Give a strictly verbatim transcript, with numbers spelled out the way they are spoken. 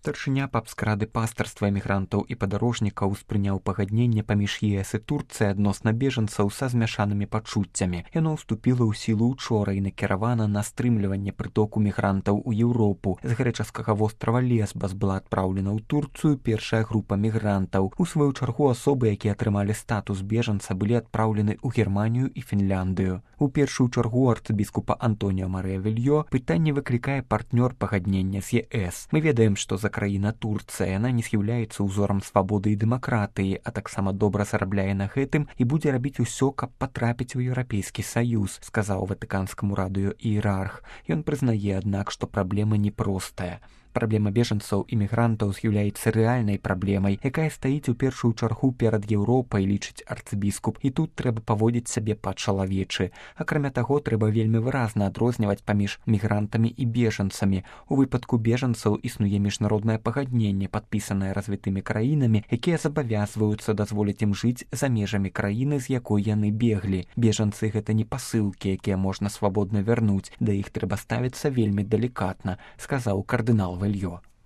Старшыня папскрады пастарства эмігрантаў і падарожнікаў успрыняў пагадненне паміж ЕС і Турцыяй адносна бежанцаў са змяшанымі пачуццямі. Яно ўступіла ў сілу ўчора і накіравана на стрымліванне прытоку мігрантаў у Еўропу. З грэчаскага вострава Лесбас была адпраўлена ў Турцыю першая група мігрантаў. У сваю чаргу асобы, якія атрымалі статус бежанца, былі адпраўлены ў Германію і Фінляндыю. У першую чаргу арцыбіскупа Антоніо Марыя Вільё пытанне выклікае партнёр пагаднення з ЕС. Мы ведаем, што за краіна Турцыя, яна не з'яўляецца ўзорам свабоды і дэмакратыі, а таксама добра зарабляе на гэтым і будзе рабіць усё, каб патрапіць у Еўрапейскі Саюз, сказаў ватыканскаму радыё іерарх. Ён прызнае, аднак, што праблема непростая. Праблема бежанцаў і мігрантаў з'яўляецца рэальнай праблемай, якая стаіць у першую чаргу перад Еўропай, лічыць арцыбіскуп, і тут трэба паводзіць сябе па-чалавечы. Акрамя таго, трэба вельмі выразна адрозніваць паміж мігрантамі і бежанцамі. У выпадку бежанцаў існуе міжнароднае пагадненне, падпісанае развітымі краінамі, якія забавязваюцца дазволіць ім жыць за межамі краіны, з якой яны беглі. Бежанцы — гэта не пасылкі, якія можна свабодна вярнуць, да іх трэба ставіцца вельмі далікатна, сказаў кардынал Вільё.